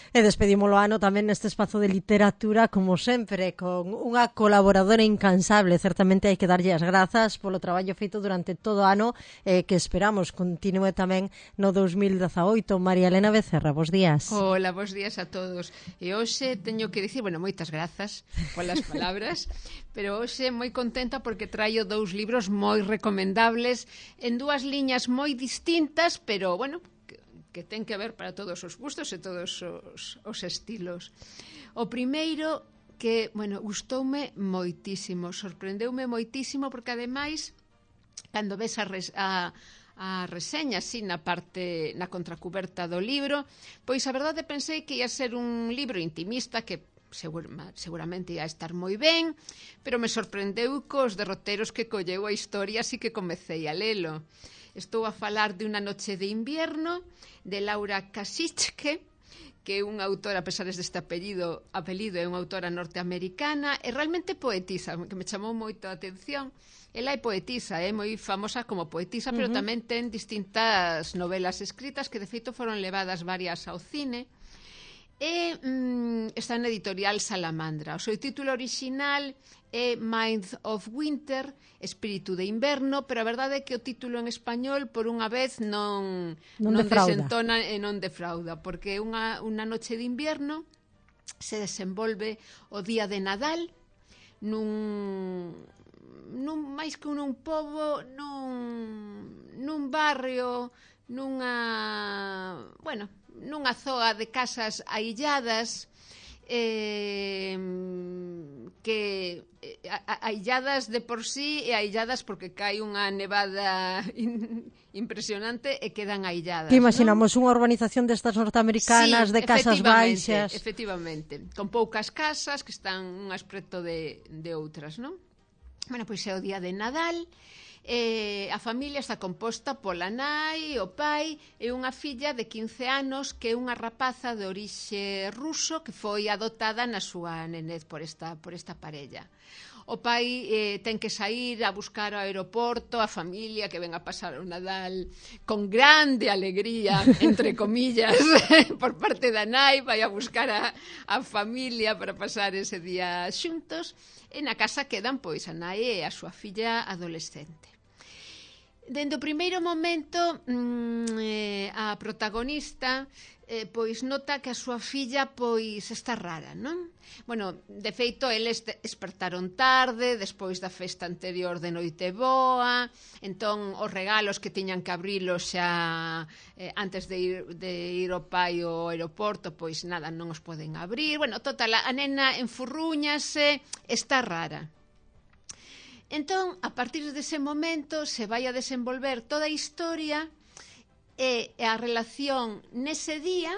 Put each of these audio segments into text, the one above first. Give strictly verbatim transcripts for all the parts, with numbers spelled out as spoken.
E despedimos o ano tamén neste espazo de literatura, como sempre, con unha colaboradora incansable. Certamente hai que darlle as grazas polo traballo feito durante todo o ano, eh, que esperamos continúe tamén no dous mil dezaoito. María Elena Becerra, bos días. Hola, bos días a todos. E hoxe teño que dicir, bueno, moitas grazas polas palabras, pero hoxe moi contenta porque traio dous libros moi recomendables en dúas liñas moi distintas, pero, bueno, que ten que ver para todos os gustos e todos os, os estilos. O primeiro que, bueno, gustoume moitísimo, sorprendeume moitísimo porque ademais cando ves a, res, a, a reseña así na parte, na contracuberta do libro, pois a verdade pensei que ia ser un libro intimista que Segur, seguramente ia estar moi ben, pero me sorprendeu cos derroteros que colleu a historia, así que comecei a lelo. Estou a falar de Una noche de invierno, de Laura Kasichke, que é unha autora, a pesar deste apelido, apelido é unha autora norteamericana, e realmente poetisa, que me chamou moito a atención. Ela é poetisa, é moi famosa como poetisa, pero uh -huh. tamén ten distintas novelas escritas que de feito foron levadas varias ao cine. E mm, está na editorial Salamandra. O seu título original é Mind of Winter, Espírito de Inverno, pero a verdade é que o título en español por unha vez non, non, non defrauda. desentona e non defrauda, porque unha, unha noche de invierno se desenvolve o día de Nadal nun, nun máis que nun pobo, nun, nun barrio, nunha, bueno, nunha zoa de casas ailladas, eh, que eh, ailladas de por sí e ailladas porque cae unha nevada in, impresionante e quedan ailladas. Que imaginamos, non? Unha urbanización destas norteamericanas, sí, de casas baixas. Efectivamente, con poucas casas que están unhas preto de, de outras, non? Bueno, pois é o día de Nadal. Eh, a familia está composta pola nai, o pai e unha filla de quince anos que é unha rapaza de orixe ruso que foi adotada na súa nenez por esta, por esta parella. O pai eh, ten que sair a buscar ao aeroporto a familia que ven a pasar o Nadal con grande alegría, entre comillas, por parte da nai, vai a buscar a, a familia para pasar ese día xuntos, e na casa quedan pois a nai e a súa filla adolescente. Dende o primeiro momento, mmm, eh, a protagonista eh, pois nota que a súa filla pois está rara, non? Bueno, de feito, eles despertaron tarde, despois da festa anterior de Noiteboa, entón os regalos que tiñan que abrilos xa eh, antes de ir, de ir ao pai ao aeroporto, pois nada, non os poden abrir. Bueno, total, a nena enfurrúñase, está rara. Entón, a partir dese momento se vai a desenvolver toda a historia e a relación nese día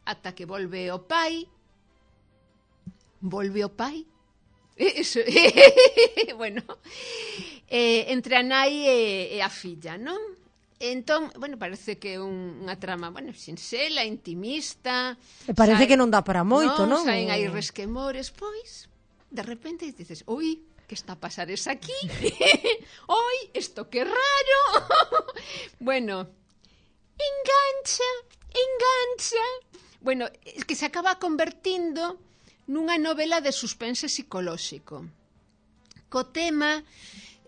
ata que volve o pai. Volve o pai? Eso, bueno, eh, entre a nai e, e a filla, non? Entón, bueno, parece que é un, unha trama, bueno, sinxela, intimista. E parece saen, que non dá para moito, non? non? Saen aí resquemores, pois, de repente dices, ui, que está a pasar es aquí? Oi, isto que raro. Bueno, engancha, engancha. Bueno, es que se acaba convertindo nunha novela de suspense psicolóxico. Co tema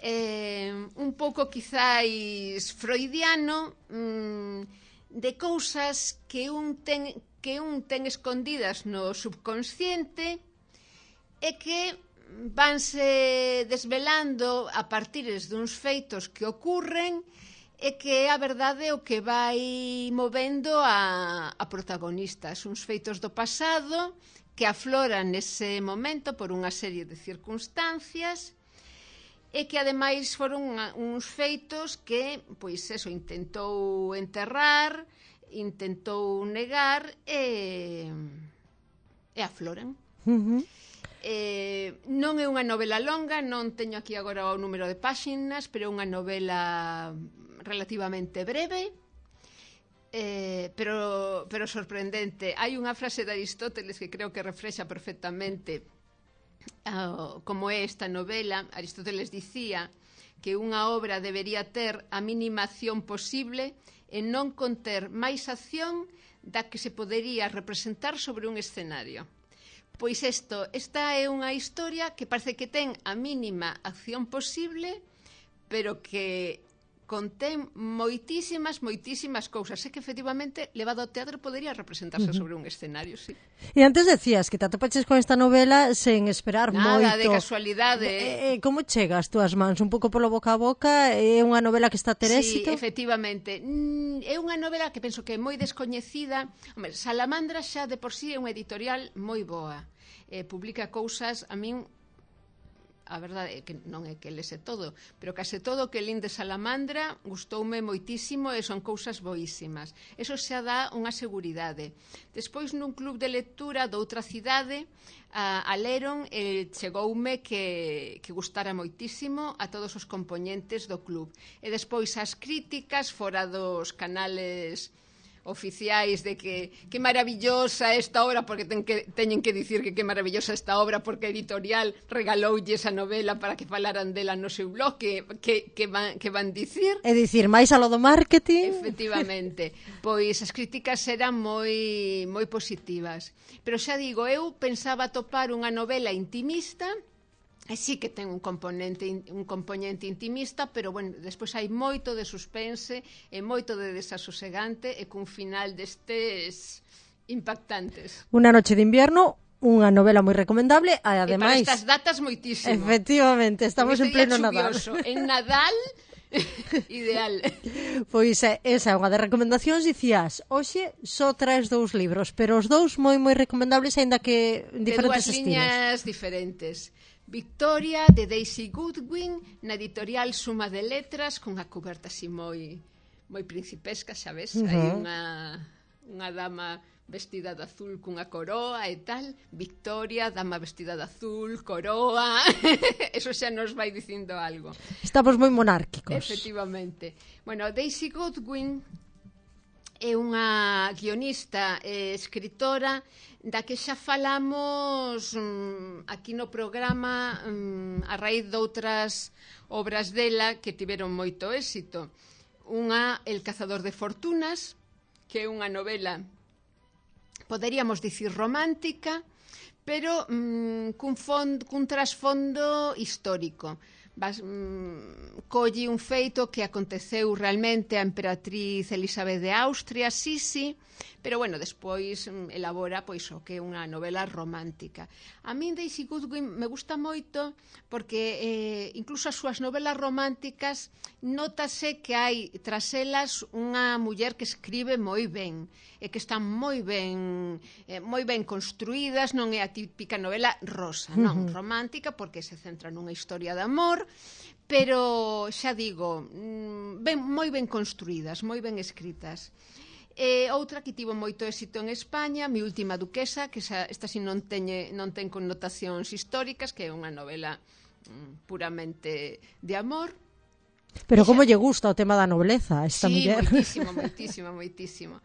eh, un pouco quizáis freudiano, mmm, de cousas que un ten que un ten escondidas no subconsciente e que vanse desvelando a partires duns feitos que ocurren e que é a verdade o que vai movendo a, a protagonistas, uns feitos do pasado que afloran nese momento por unha serie de circunstancias e que ademais foron uns feitos que, pois eso, intentou enterrar, intentou negar e, e afloran. Uh -huh. Eh, non é unha novela longa, non teño aquí agora o número de páxinas, pero é unha novela relativamente breve, eh, pero, pero sorprendente. Hai unha frase de Aristóteles que creo que reflexa perfectamente uh, como é esta novela. Aristóteles dicía que unha obra debería ter a mínima acción posible e non conter máis acción da que se podería representar sobre un escenario. Pois isto, esta é unha historia que parece que ten a mínima acción posible, pero que contén moitísimas, moitísimas cousas. É que, efectivamente, levado ao teatro podería representarse uh -huh. sobre un escenario, sí. E antes decías que te atopaches con esta novela sen esperar Nada, moito. Nada, de casualidade. Eh, eh, como chega as túas mans? Un pouco polo boca a boca? É unha novela que está a ter éxito? Sí, efectivamente. É unha novela que penso que é moi descoñecida. Hombre, Salamandra xa de por sí é unha editorial moi boa. Eh, publica cousas, a min... a verdade é que non é que lese todo, pero case todo o que lín de Salamandra gustoume moitísimo e son cousas boísimas. Eso xa dá unha seguridade. Despois, nun club de lectura doutra cidade, a, a leron e chegoume que, que gustara moitísimo a todos os componentes do club. E despois as críticas fora dos canales oficiais de que que maravillosa esta obra, porque ten que, teñen que dicir que que maravillosa esta obra porque a editorial regaloulle esa novela para que falaran dela no seu blog, que, que, que, van, que van dicir. É dicir, máis a lo do marketing. Efectivamente, pois as críticas eran moi, moi positivas. Pero xa digo, eu pensaba topar unha novela intimista. E sí que ten un componente un componente intimista, pero bueno, despois hai moito de suspense e moito de desasosegante e cun final destes impactantes. Una noche de invierno, unha novela moi recomendable e ademais... E para estas datas moitísimo. Efectivamente, estamos en pleno Nadal. En Nadal, ideal. Pois esa é unha das recomendacións. Dicías, hoxe só traes dous libros, pero os dous moi moi recomendables, aínda que en diferentes estilos. De dúas liñas diferentes. Victoria, de Daisy Goodwin, na editorial Suma de Letras, cunha coberta así moi moi principesca, sabes? Uh -huh. Hai unha, unha dama vestida de azul cunha coroa e tal. Victoria, dama vestida de azul, coroa... Eso xa nos vai dicindo algo. Estamos moi monárquicos. Efectivamente. Bueno, Daisy Goodwin é unha guionista e escritora da que xa falamos um, aquí no programa um, a raíz de outras obras dela que tiveron moito éxito. Unha, El cazador de fortunas, que é unha novela, poderíamos dicir romántica, pero um, cun, fond, cun trasfondo histórico. Vas, mm, colle un feito que aconteceu realmente a emperatriz Elizabeth de Austria, sí, sí, pero bueno, despois mm, elabora pois o que é unha novela romántica. A min Daisy Goodwin me gusta moito porque eh, incluso as súas novelas románticas notase que hai tras elas unha muller que escribe moi ben e que están moi ben eh, moi ben construídas, non é a típica novela rosa, non, uh-huh. romántica, porque se centra nunha historia de amor, pero xa digo, ben, moi ben construídas, moi ben escritas. E outra que tivo moito éxito en España, Mi última duquesa, que esa, esta si non, teñe, non ten connotacións históricas, que é unha novela mm, puramente de amor. Pero como lle gusta o tema da nobleza a esta sí, muller? Sí, moitísimo, moitísimo, moitísimo.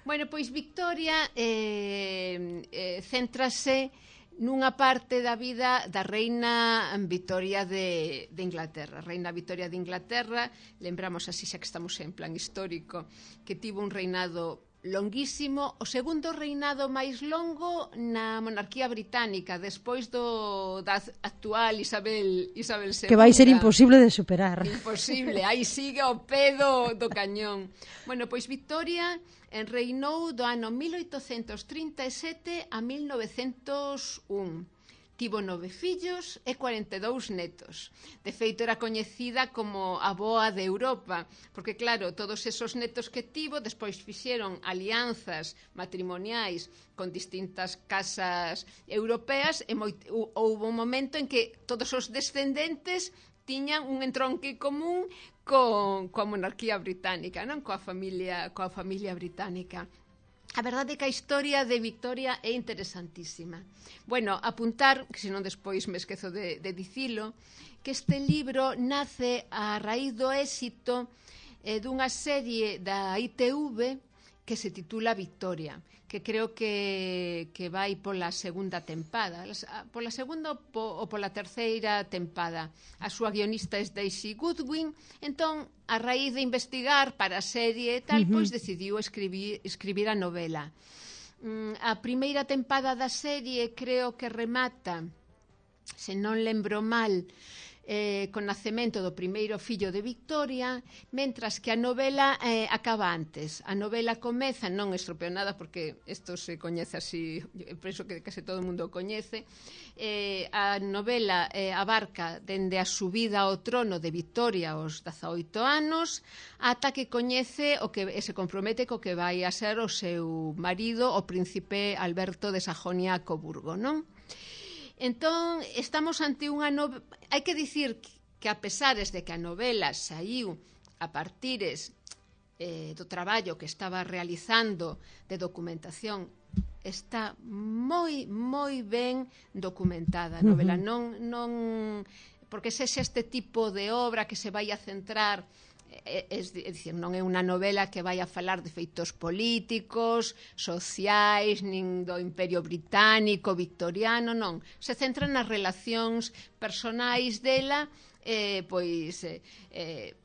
Bueno, pois Victoria eh, eh, céntrase nunha parte da vida da reina Victoria de, de Inglaterra. Reina Victoria de Inglaterra, lembramos así xa que estamos en plan histórico, que tivo un reinado longuísimo, o segundo reinado máis longo na monarquía británica, despois do da actual Isabel Isabel segunda. Que vai ser imposible de superar. Imposible, aí sigue o pedo do cañón. Bueno, pois Victoria reinou do ano mil oitocentos trinta e sete a mil novecentos un. Tivo nove fillos e cuarenta e dous netos. De feito, era coñecida como a boa de Europa, porque, claro, todos esos netos que tivo despois fixeron alianzas matrimoniais con distintas casas europeas e moi, houve un momento en que todos os descendentes tiñan un entronque común con, coa monarquía británica, non? Coa familia, coa familia británica. A verdade é que a historia de Victoria é interesantísima. Bueno, apuntar, que senón despois me esquezo de, de dicilo, que este libro nace a raíz do éxito eh, dunha serie da I T V que se titula Victoria, que creo que, que vai pola segunda tempada, pola segunda ou pola terceira tempada. A súa guionista é Daisy Goodwin, entón, a raíz de investigar para a serie e tal, uh-huh. pois decidiu escribir, escribir a novela. Mm, a primeira tempada da serie creo que remata, se non lembro mal, Eh, con nacemento do primeiro fillo de Victoria, mentras que a novela eh, acaba antes. A novela comeza, non estropeo nada porque isto se coñece así, penso que case todo o mundo coñece. Eh, a novela eh, abarca dende a subida ao trono de Victoria aos dezaoito anos ata que coñece o que e se compromete co que vai a ser o seu marido, o príncipe Alberto de Sajonia-Coburgo, non? Entón, estamos ante unha novela. Hai que dicir que, a pesares de que a novela saiu a partires eh, do traballo que estaba realizando de documentación, está moi, moi ben documentada a novela. Uh-huh. Non, non, porque se é este tipo de obra que se vai a centrar... É, é, é dicir, non é unha novela que vai a falar de feitos políticos, sociais, nin do Imperio Británico, victoriano, non. Se centra nas relacións personais dela, eh, pois, eh, eh,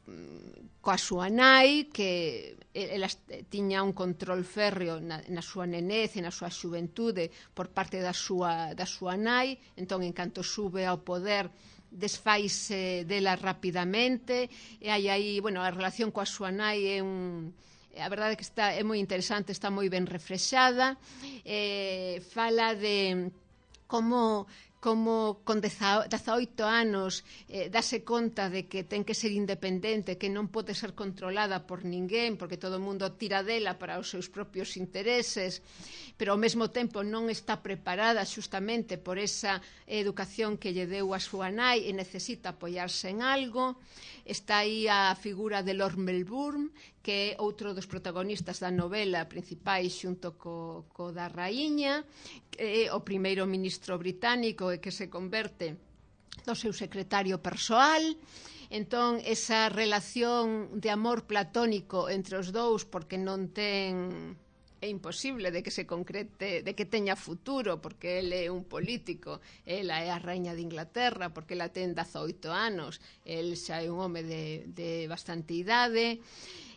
coa súa nai, que ela tiña un control férreo na, na súa nenez e na súa xuventude por parte da súa, da súa nai, entón, en canto sube ao poder, desfaise dela rapidamente, e hai aí, bueno, a relación coa súa nai é un... A verdade é que está, é moi interesante, está moi ben reflexada, eh, fala de como... como con dezaoito anos eh, dase conta de que ten que ser independente, que non pode ser controlada por ninguén, porque todo o mundo tira dela para os seus propios intereses, pero ao mesmo tempo non está preparada xustamente por esa educación que lle deu a súa nai e necesita apoiarse en algo. Está aí a figura de Lord Melbourne, que é outro dos protagonistas da novela principais xunto co, co da raíña, que é o primeiro ministro británico e que se converte no seu secretario persoal. Entón, esa relación de amor platónico entre os dous, porque non ten... é imposible de que se concrete, de que teña futuro, porque ele é un político, ela é a raíña de Inglaterra, porque ela ten dezaoito anos, el xa é un home de, de bastante idade.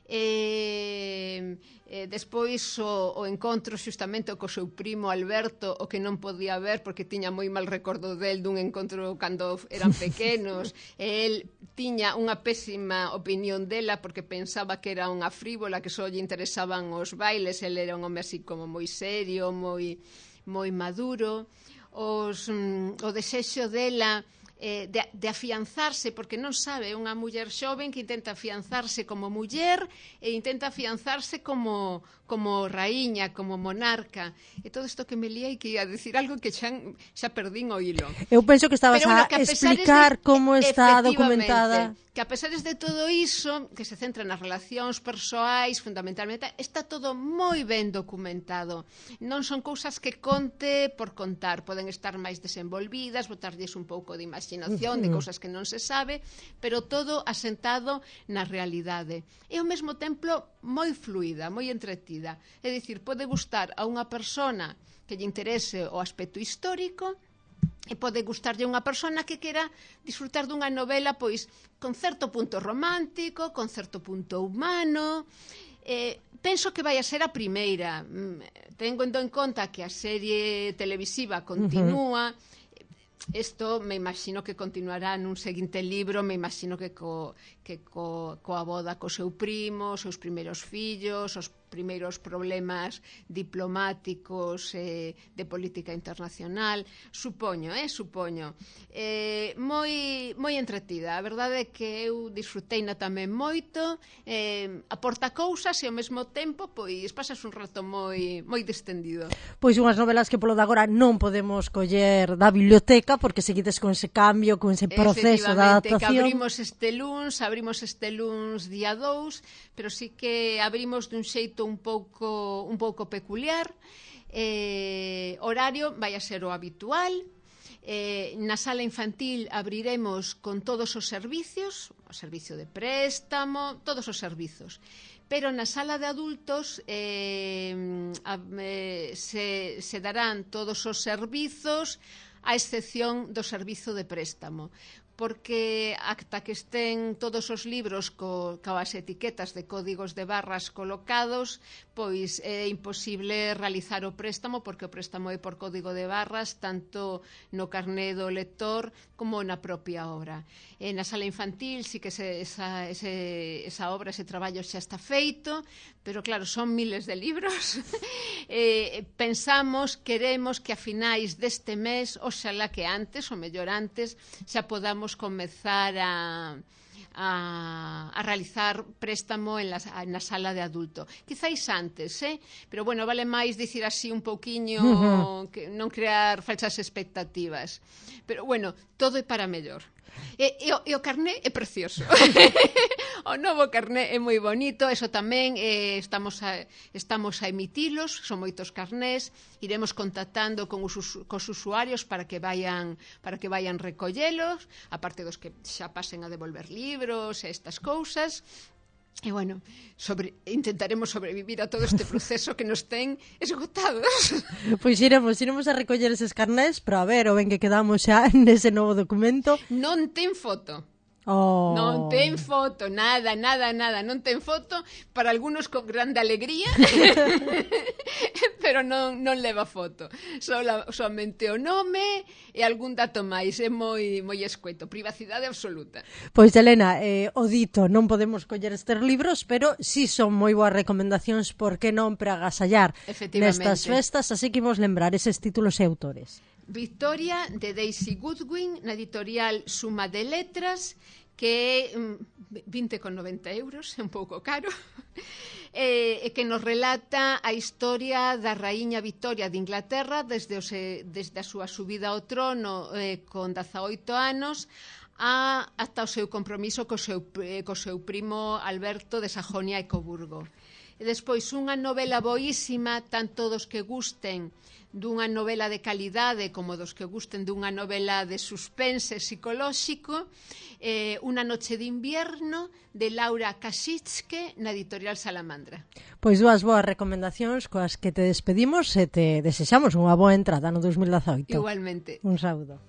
E, e despois o, o encontro xustamente co seu primo Alberto, o que non podía ver porque tiña moi mal recordo del dun encontro cando eran pequenos, e el tiña unha pésima opinión dela porque pensaba que era unha frívola, que só lle interesaban os bailes. El era un home así como moi serio, moi, moi maduro. Os, mm, o desexo dela Eh, de, de afianzarse, porque non sabe, unha muller xoven que intenta afianzarse como muller e intenta afianzarse como, como raíña, como monarca, e todo isto que me liei, que ia dicir algo que xa, xa perdín o hilo. Eu penso que estabas Pero, bueno, a, a explicar de, como está documentada. Que a pesares de todo iso, que se centra nas relacións persoais, fundamentalmente, está todo moi ben documentado. Non son cousas que conte por contar, poden estar máis desenvolvidas, botarlles un pouco de imaginación, uh-huh. de cousas que non se sabe, pero todo asentado na realidade. E ao mesmo tempo moi fluida, moi entretida. É dicir, pode gustar a unha persona que lle interese o aspecto histórico, e pode gustarlle unha persona que quera disfrutar dunha novela pois con certo punto romántico, con certo punto humano. Eh, penso que vai a ser a primeira. Tengo en conta que a serie televisiva continúa. Isto me imagino que continuará nun seguinte libro, me imagino que co, que co, coa boda co seu primo, os seus primeiros fillos, os primeiros problemas diplomáticos eh, de política internacional, supoño, eh, supoño. Eh, moi, moi entretida, a verdade é que eu disfruteina tamén moito, eh, aporta cousas e ao mesmo tempo pois pasas un rato moi, moi distendido. Pois unhas novelas que polo de agora non podemos coller da biblioteca porque seguides con ese cambio, con ese proceso de adaptación. Que abrimos este luns, abrimos este luns día dous, pero sí que abrimos dun xeito un pouco un pouco peculiar. Eh, horario vai a ser o habitual. Eh, na sala infantil abriremos con todos os servicios, o servicio de préstamo, todos os servizos. pero na sala de adultos eh, a, eh, se, se darán todos os servizos a excepción do servizo de préstamo, porque ata que estén todos os libros co, coas etiquetas de códigos de barras colocados, pois é imposible realizar o préstamo, porque o préstamo é por código de barras tanto no carné do lector como na propia obra. E na sala infantil sí que se, esa, ese, esa obra, ese traballo xa está feito, pero claro, son miles de libros. eh, pensamos, queremos que a finais deste mes, oxalá que antes, ou mellor antes, xa podamos comezar a... A, a realizar préstamo en la, na sala de adulto. Quizáis antes, eh? Pero bueno, vale máis dicir así un pouquiño, uh-huh. que non crear falsas expectativas. Pero bueno, todo é para mellor. E, e, o, e o carné é precioso. O novo carné é moi bonito, eso tamén eh, estamos, a, estamos a emitilos, son moitos carnés, iremos contactando con os, cos usuarios para que vayan para que vayan recollelos, aparte dos que xa pasen a devolver libros e estas cousas. E, bueno, sobre, intentaremos sobrevivir a todo este proceso que nos ten esgotados. Pois iremos, iremos a recoller eses carnés, pero a ver, o ben que quedamos xa nese novo documento. Non ten foto. Oh. Non ten foto, nada, nada, nada, non ten foto, para algunos con grande alegría, pero non, non leva foto. Sola, somente o nome e algún dato máis, é moi, moi escueto, privacidade absoluta. Pois, Elena, eh, o dito, non podemos coller estes libros, pero sí son moi boas recomendacións, por que non, para agasallar nestas festas, así que imos lembrar eses títulos e autores. Victoria, de Daisy Goodwin, na editorial Suma de Letras, que é vinte con noventa euros, é un pouco caro, e, e que nos relata a historia da raíña Victoria de Inglaterra desde, o se, desde a súa subida ao trono eh, con dezaoito anos a, ata o seu compromiso co seu, eh, co seu primo Alberto de Sajonia e Coburgo. E despois unha novela boísima, tanto dos que gusten dunha novela de calidade como dos que gusten dunha novela de suspense psicolóxico, eh, Una noche de invierno, de Laura Kasicke, na editorial Salamandra. Pois dúas boas recomendacións coas que te despedimos e te desexamos unha boa entrada no dos mil dezaoito. Igualmente. Un saúdo.